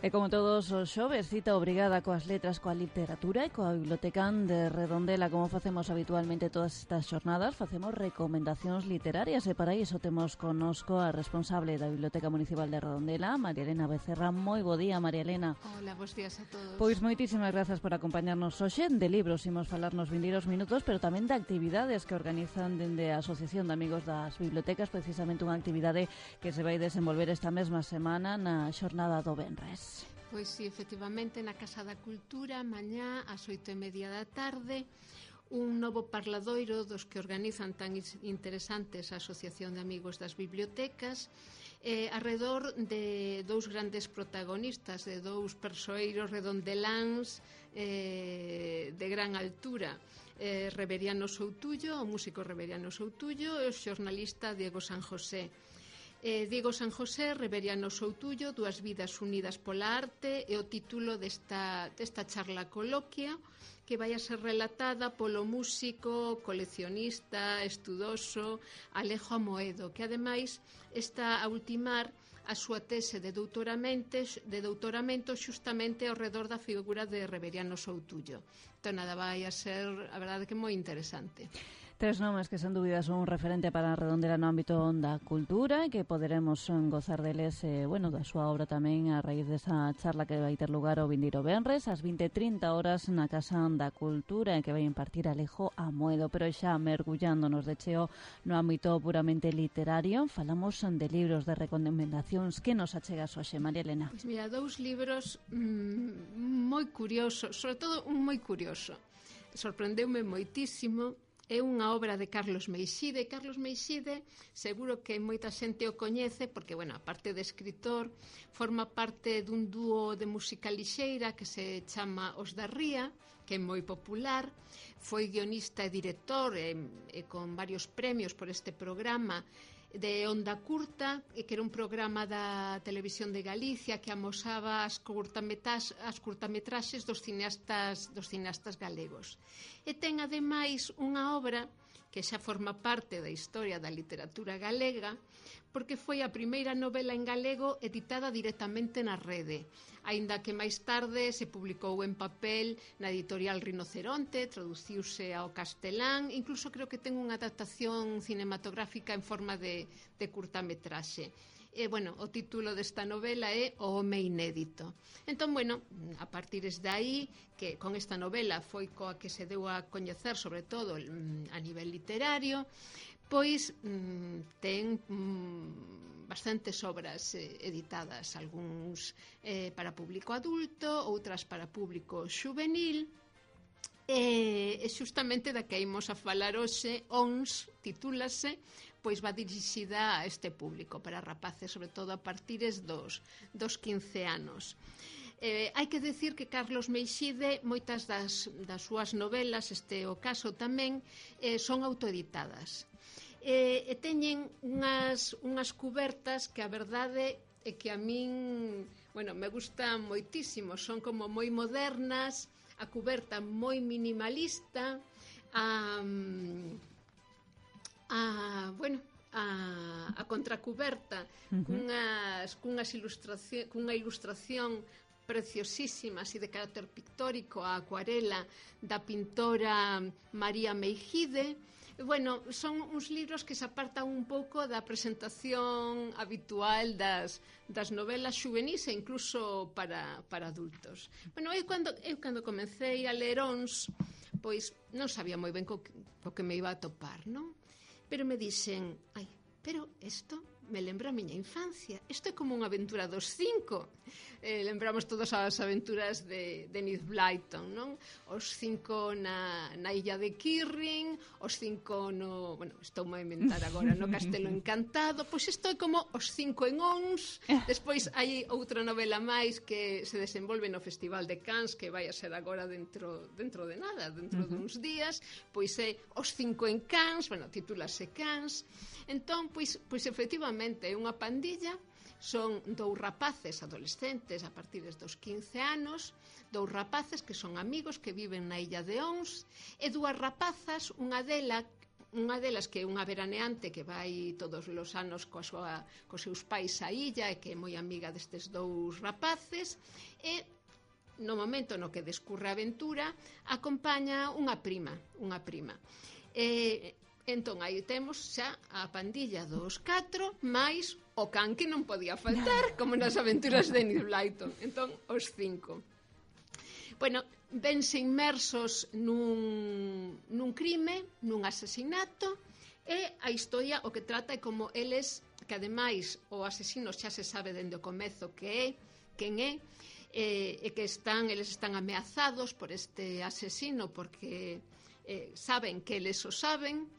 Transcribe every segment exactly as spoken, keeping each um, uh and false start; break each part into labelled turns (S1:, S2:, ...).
S1: E como todos os xoves, cita obrigada coas letras, coa literatura e coa biblioteca de Redondela. Como facemos habitualmente todas estas xornadas, facemos recomendacións literarias e para iso temos connosco a responsable da Biblioteca Municipal de Redondela, María Elena Becerra. Moi bo día, María Elena.
S2: Hola, bons días a todos.
S1: Pois moitísimas grazas por acompañarnos hoxe. De libros imos falar nos vindeiros minutos, pero tamén de actividades que organizan dende a Asociación de Amigos das Bibliotecas, precisamente unha actividade que se vai desenvolver esta mesma semana na xornada do Venres.
S2: Pois sí, efectivamente, na Casa da Cultura, mañá, ás oito e media da tarde, un novo parladoiro dos que organizan tan interesantes a Asociación de Amigos das Bibliotecas, eh, arredor de dous grandes protagonistas, de dous persoeiros redondeláns eh, de gran altura. Eh, Reveriano Soutullo, o músico Reveriano Soutullo, e o xornalista Diego San José. Eh, Diego San José, Reveriano Soutullo, Dúas vidas unidas pola arte, é o título desta, desta charla coloquia que vai a ser relatada polo músico, coleccionista, estudoso Alejo Amoedo, que ademais está a ultimar a súa tese de doutoramento, de doutoramento xustamente ao redor da figura de Reveriano Soutullo. Entón, nada, vai a ser, a verdade, que moi interesante.
S1: Tres nomes que, sen dúbida, son un referente para Redondela no ámbito da cultura e que poderemos gozar deles, eh, bueno, da súa obra tamén a raíz desa charla que vai ter lugar o vindeiro venres ás vinte e trinta horas na Casa da Cultura e que vai impartir Alejo Amoedo. Pero xa mergullándonos de cheo no ámbito puramente literario, falamos de libros, de recomendacións. Que nos achegas hoxe, María Elena?
S2: Pois mira, dous libros mmm, moi curiosos, sobre todo un moi curioso. Sorprendeume moitísimo. É unha obra de Carlos Meixide. Carlos Meixide, seguro que moita xente o coñece porque, bueno, aparte de escritor, forma parte dun dúo de música lixeira que se chama Os da Ría, que é moi popular. Foi guionista e director e, e con varios premios por este programa de Onda Curta, que era un programa da Televisión de Galicia que amosaba as curtametraxes, as curtametraxes dos cineastas, dos cineastas galegos. E ten ademais unha obra que xa forma parte da historia da literatura galega, porque foi a primeira novela en galego editada directamente na rede, aínda que máis tarde se publicou en papel na editorial Rinoceronte, traduciuse ao castelán, incluso creo que ten unha adaptación cinematográfica en forma de, de curtametraxe. E, bueno, o título desta novela é O home inédito. Entón, bueno, a partir de aí, que con esta novela foi coa que se deu a coñecer, sobre todo a nivel literario, pois ten bastantes obras editadas, algúns para público adulto, outras para público xuvenil. E, e xustamente da que imos a falar hoxe, Ons, titúlase, pois va dirixida a este público, para rapaces, sobre todo a partires dos, dos quince anos. Eh, hai que decir que Carlos Meixide, moitas das, das súas novelas, este o caso tamén, eh, son autoeditadas. E, e teñen unhas, unhas cubertas que a verdade é que a min, bueno, me gustan moitísimo, son como moi modernas, a cuberta moi minimalista, a, a bueno, a, a contracuberta uh-huh. cunhas, cunhas ilustración, cunha ilustración preciosísima, así de carácter pictórico, a acuarela da pintora María Meijide. Bueno, son uns libros que se apartan un pouco da presentación habitual das, das novelas xuvenis e incluso para, para adultos. Bueno, eu cando, eu cando comecei a ler Ons, pois non sabía moi ben co, co que me iba a topar, non? Pero me dixen, ai, pero isto me lembra a miña infancia. Isto é como unha aventura dos cinco. Eh, lembramos todas as aventuras de, de Enid Blyton, non? Os cinco na, na illa de Kirrin, os cinco no... Bueno, estou a inventar agora, no Castelo Encantado. Pois isto é como os cinco en Ons. Despois hai outra novela máis que se desenvolve no Festival de Cannes, que vai a ser agora dentro, dentro de nada, dentro uh-huh. duns días. Pois é os cinco en Cannes, bueno, titúlase Cannes. Entón, pois, pois efectivamente é unha pandilla, son dous rapaces adolescentes a partir dos quince anos, dous rapaces que son amigos que viven na illa de Ons, e dúas rapazas, unha dela unha delas que é unha veraneante que vai todos os anos coa súa, cos seus pais á illa e que é moi amiga destes dous rapaces, e no momento no que descurre a aventura acompaña unha prima, unha prima. E entón aí temos xa a pandilla dos catro máis o can que non podía faltar, como nas aventuras de Enid Blyton. Entón, os cinco. Bueno, vense inmersos nun, nun crime, nun asesinato, e a historia o que trata é como eles, que ademais o asesino xa se sabe dende o comezo que é, quen é, e, e que están, eles están ameazados por este asesino porque eh, saben que eles o saben.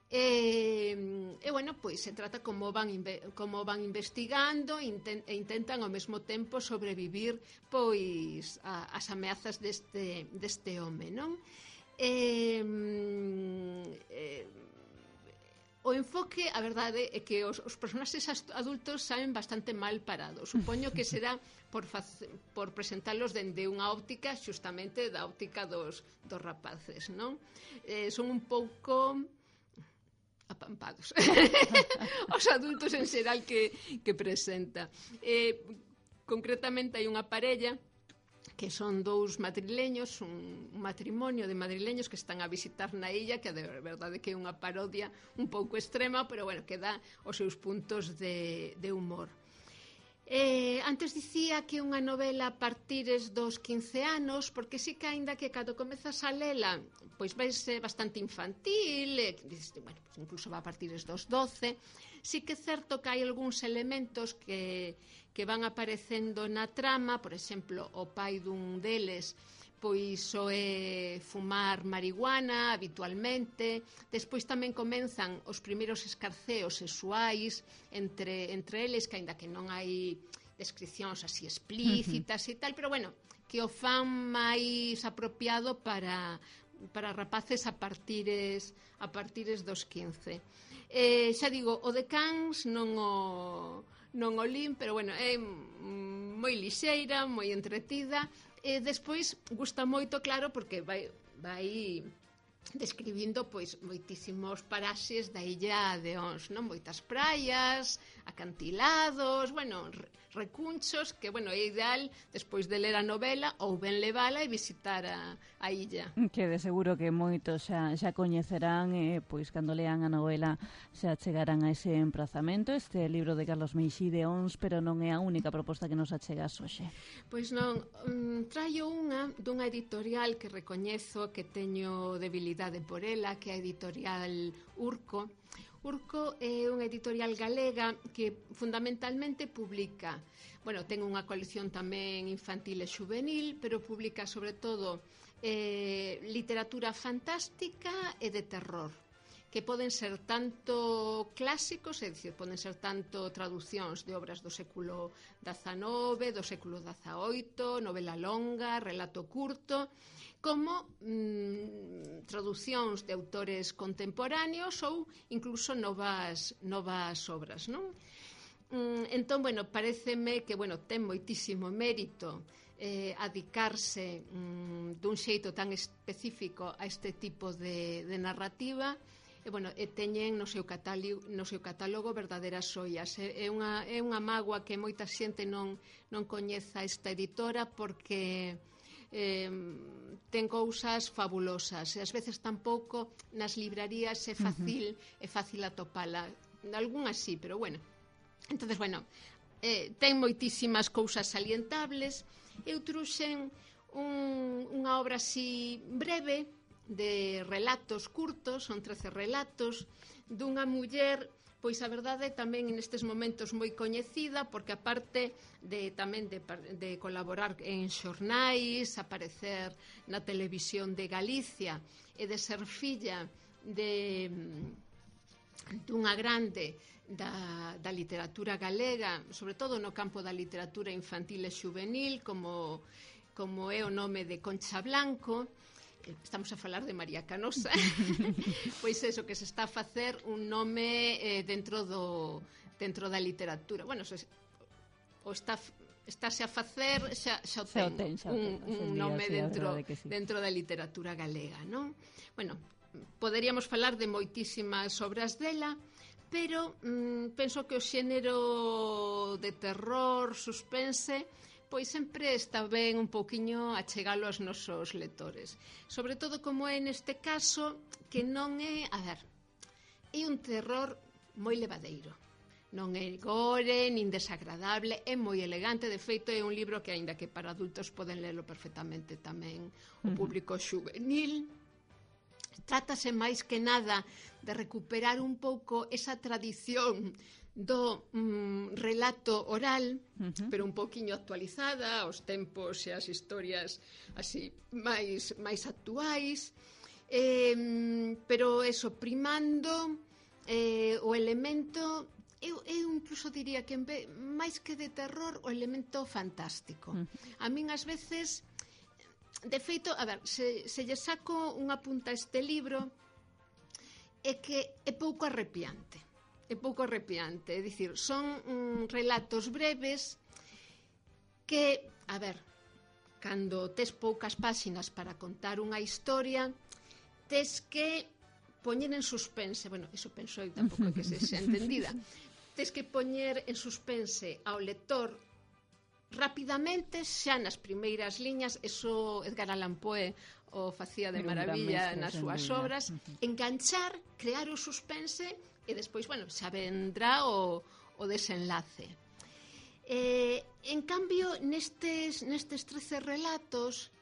S2: E, e bueno, pois se trata como van como van investigando inten, e intentan ao mesmo tempo sobrevivir pois a, as ameazas deste, deste home, non? E, e, o enfoque, a verdade é que os, os personaxes adultos saen bastante mal parados. Supoño que será por, por presentarlos dende unha óptica xustamente da óptica dos, dos rapaces, non? Eh, son un pouco apampados os adultos en xeral que, que presenta. Eh, concretamente hai unha parella que son dous madrileños, un matrimonio de madrileños que están a visitar na illa, que de verdade que é unha parodia un pouco extrema, pero bueno, que dá os seus puntos de, de humor. Eh, antes dicía que unha novela a partires dos quince anos, porque sí que aínda que cando comezas a lela pois vai ser bastante infantil, e, bueno, pues incluso va a partires dos doce, sí que é certo que hai algúns elementos que, que van aparecendo na trama, por exemplo, o pai dun deles pois o é fumar marihuana habitualmente. Despois tamén comenzan os primeiros escarceos sexuais entre, entre eles, que aínda que non hai descripcións así explícitas uh-huh. e tal, pero bueno, que o fan máis apropiado para, para rapaces a partires, a partires dos quince. Eh, xa digo, o de Cans non o, non o lin, pero bueno, é moi lixeira, moi entretida. E despois gusta moito, claro, porque vai, vai describindo pois moitísimos paraxes da illa de Ons, non? Moitas praias, acantilados, bueno, recunchos, que, bueno, é ideal despois de ler a novela ou ben levala e visitar a, a illa.
S1: Que de seguro que moitos xa, xa coñecerán e, pois, cando lean a novela xa chegarán a ese emprazamento. Este libro de Carlos Meixide, Ons, pero non é a única proposta que nos achegas hoxe.
S2: Pois non, um, traio unha dunha editorial que recoñezo que teño debilidade por ela, que é a editorial Urco. Urco é unha editorial galega que fundamentalmente publica, bueno, ten unha colección tamén infantil e juvenil, pero publica sobre todo eh, literatura fantástica e de terror, que poden ser tanto clásicos, é dicir, poden ser tanto traducións de obras do século dezanove, do século dezaoito, novela longa, relato curto, como mm, traducións de autores contemporáneos ou incluso novas, novas obras, non? Mm, entón, bueno, pareceme que, bueno, ten moitísimo mérito eh, adicarse mm, dun xeito tan específico a este tipo de, de narrativa. E, bueno, e teñen no seu catálogo, no seu catálogo verdadeiras xoias. É, é, unha, é unha mágoa que moita xente non, non coñeza esta editora, porque eh, ten cousas fabulosas e ás veces tampouco nas librarías é fácil, uh-huh. é fácil atopala. Algúnas sí, pero bueno. Entonces, bueno, eh, ten moitísimas cousas salientables. Eu truxen un, unha obra así breve de relatos curtos, son trece relatos dunha muller, pois a verdade tamén nestes momentos moi coñecida, porque aparte de tamén de, de colaborar en xornais, aparecer na televisión de Galicia e de ser filla de dunha grande da, da literatura galega, sobre todo no campo da literatura infantil e juvenil, como, como é o nome de Concha Blanco. Estamos a falar de María Canosa. Pois eso, que se está a facer un nome eh, dentro do dentro da literatura. Bueno, se, o está estáse a facer xa, xa o ten, xa o ten xa un, un nome día, dentro, sí, dentro da literatura galega, non? Bueno, poderíamos falar de moitísimas obras dela, pero mm, penso que o xénero de terror, suspense, pois sempre está ben un pouquiño achegalo aos nosos lectores. Sobre todo como é neste caso, que non é, a ver, é un terror moi levadeiro. Non é gore, nin desagradable, é moi elegante, de feito é un libro que, aínda que para adultos poden lerlo perfectamente tamén o público xuvenil. Trátase máis que nada de recuperar un pouco esa tradición do mm, relato oral, uh-huh. pero un pouquiño actualizada aos tempos e as historias así máis, máis actuais, eh, pero eso, primando eh, o elemento... Eu, eu incluso diría que en vez, máis que de terror, o elemento fantástico. Uh-huh. A min ás veces, de feito, a ver, se, se lle saco unha punta a este libro, é que é pouco arrepiante. É pouco arrepiante, é dicir, son mm, relatos breves que, a ver, cando tes poucas páxinas para contar unha historia, tes que poñer en suspense, bueno, iso penso eu, tampouco é que se xa entendida, tes que poñer en suspense ao lector rapidamente, xa nas primeiras liñas, eso Edgar Allan Poe o facía de maravilla nas súas obras, enganchar, crear o suspense e despois, bueno, xa vendrá o, o desenlace. Eh, en cambio, nestes, nestes trece relatos,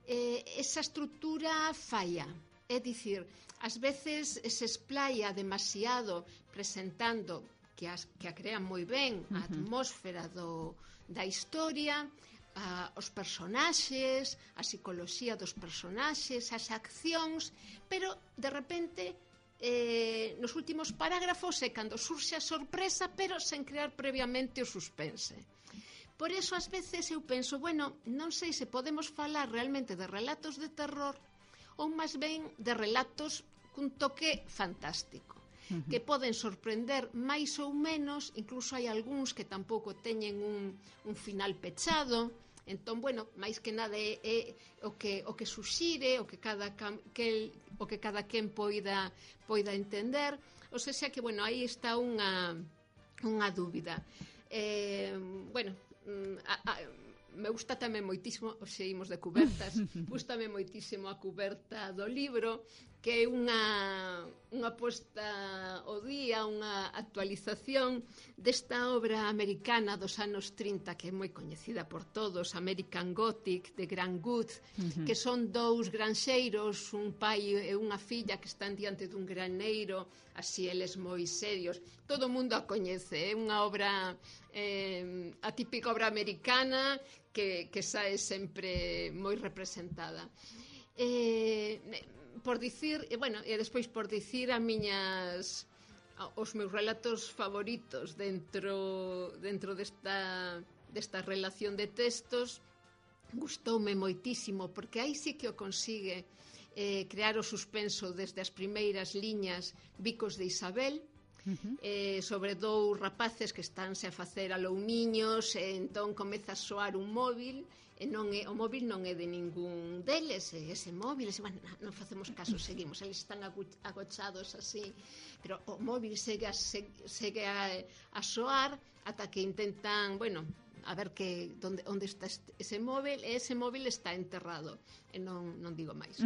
S2: eh, esa estrutura falla, é dicir, ás veces se esplaya demasiado presentando que, as, que a crean moi ben a atmósfera do, da historia, a, os personaxes, a psicoloxía dos personaxes, as accións, pero de repente eh, nos últimos parágrafos é cando surxe a sorpresa, pero sen crear previamente o suspense. Por eso, ás veces, eu penso, bueno, non sei se podemos falar realmente de relatos de terror ou máis ben de relatos cun toque fantástico, uh-huh. que poden sorprender máis ou menos, incluso hai algúns que tampouco teñen un, un final pechado, entón, bueno, máis que nada é, é o que o que suxire, o que cada que o que cada quen poida poida entender, ou seja que, bueno, aí está unha unha dúbida. Eh, bueno, a, a, me gusta tamén moitísimo, os seguimos de cubertas, gustame moitísimo a cuberta do libro, que é unha, unha posta ao día, unha actualización desta obra americana dos anos trinta, que é moi coñecida por todos, American Gothic, de Grant Wood, uh-huh. que son dous granxeiros, un pai e unha filla que están diante dun graneiro, así eles moi serios. Todo o mundo a coñece, é unha obra, eh, a típica obra americana, que, que sae sempre moi representada. Eh, por dicir, e bueno, e despois por dicir a miñas os meus relatos favoritos dentro dentro desta desta relación de textos, gustoume moitísimo porque aí sí que o consigue eh, crear o suspenso desde as primeiras liñas Bicos de Isabel. Uh-huh. Eh, sobre dous rapaces que estánse a facer aloumiños e entón comeza a soar un móvil e non é, o móvil non é de ningún deles, e ese móvil, ese, bueno, non facemos caso, seguimos, eles están agochados así, pero o móvil segue a, segue a, a soar ata que intentan, bueno, a ver que onde, onde está ese móvil, e ese móvil está enterrado, e non, non digo máis.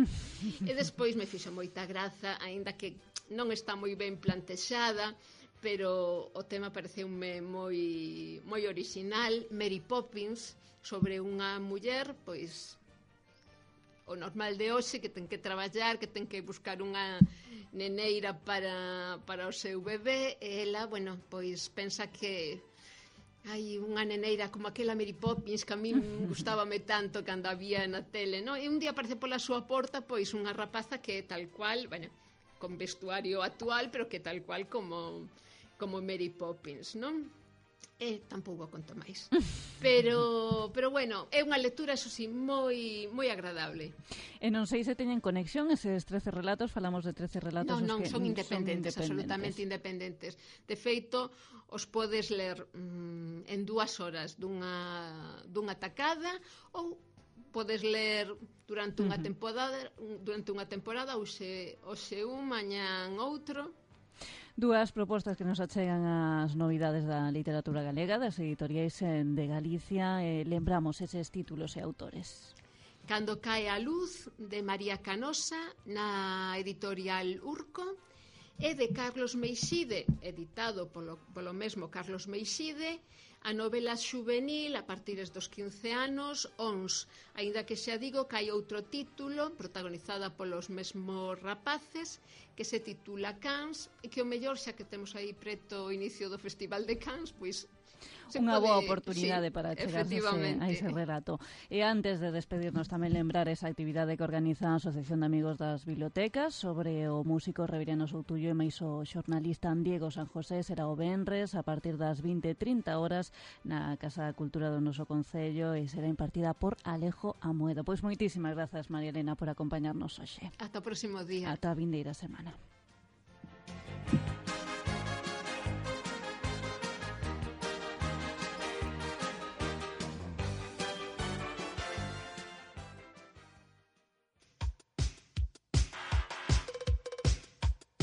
S2: E despois me fixo moita graza, aínda que non está moi ben plantexada, pero o tema pareceume moi moi orixinal. Mary Poppins, sobre unha muller, pois o normal de hoxe, que ten que traballar, que ten que buscar unha neneira para, para o seu bebé, e ela, bueno, pois pensa que hai unha neneira como aquela Mary Poppins que a mí gustábame tanto cando había na tele, non? E un día aparece pola súa porta pois unha rapaza que é tal cual, bueno, con vestuario actual, pero que tal cual como como Mary Poppins, non? E tampouco conto máis. Pero, pero bueno, é unha lectura, eso sí, moi moi agradable.
S1: E non sei se teñen conexión eses trece relatos, falamos de trece relatos.
S2: Non, non,
S1: que
S2: son independentes,
S1: son
S2: absolutamente independentes. De feito, os podes ler mmm, en dúas horas dunha, dunha tacada, ou podes ler durante unha
S1: Uh-huh.
S2: temporada, durante unha temporada hoxe, hoxe un, mañán outro.
S1: Dúas propostas que nos achegan as novidades da literatura galega, das editoriais de Galicia. Eh, lembramos eses títulos e autores.
S2: Cando cae a luz, de María Canosa, na editorial Urco, e de Carlos Meixide, editado polo, polo mesmo Carlos Meixide, a novela xuvenil a partir dos quince anos, Ons, aínda que xa digo que hai outro título protagonizada polos mesmos rapaces que se titula Cans, e que o mellor, xa que temos aí preto o inicio do Festival de Cans, pois
S1: unha
S2: pode,
S1: boa oportunidade, sí, para chegarse a ese relato. E antes de despedirnos, tamén lembrar esa actividade que organiza a Asociación de Amigos das Bibliotecas sobre o músico Reviriano Soutullo e máis o xornalista Diego San José. Será o venres a partir das vinte e trinta horas na Casa da Cultura do noso Concello e será impartida por Alejo Amoedo. Pois moitísimas grazas, María Elena, por acompañarnos hoxe.
S2: Ata o próximo día.
S1: Ata a vindeira semana.